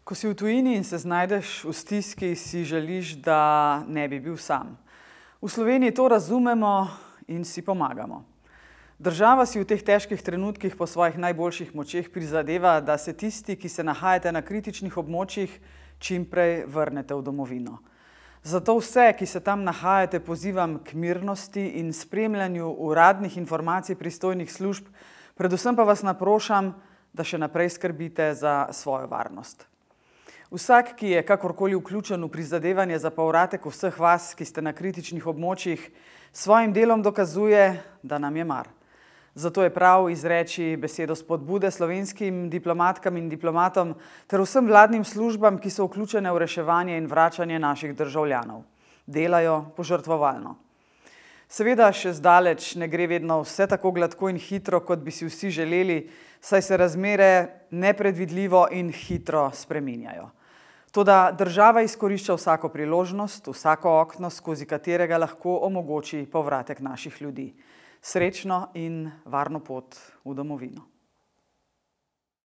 Ko si v tujini in se znajdeš v stiski, si želiš, da ne bi bil sam. V Sloveniji to razumemo in si pomagamo. Država si v teh težkih trenutkih po svojih najboljših močeh prizadeva, da se tisti, ki se nahajate na kritičnih območjih, čim prej vrnete v domovino. Zato vse, ki se tam nahajate, pozivam k mirnosti in spremljanju uradnih informacij pristojnih služb, predvsem pa vas naprošam, da še naprej skrbite za svojo varnost. Vsak, ki je kakorkoli vključen v prizadevanje za povratek vseh vas, ki ste na kritičnih območjih, svojim delom dokazuje, da nam je mar. Zato je prav izreči besedo spodbude slovenskim diplomatkam in diplomatom ter vsem vladnim službam, ki so vključene v reševanje in vračanje naših državljanov. Delajo požrtvovalno. Seveda še zdaleč ne gre vedno vse tako gladko in hitro, kot bi si vsi želeli, saj se razmere nepredvidljivo in hitro spreminjajo. Toda država izkorišča vsako priložnost, vsako okno, skozi katerega lahko omogoči povratek naših ljudi. Srečno in varno pot v domovino.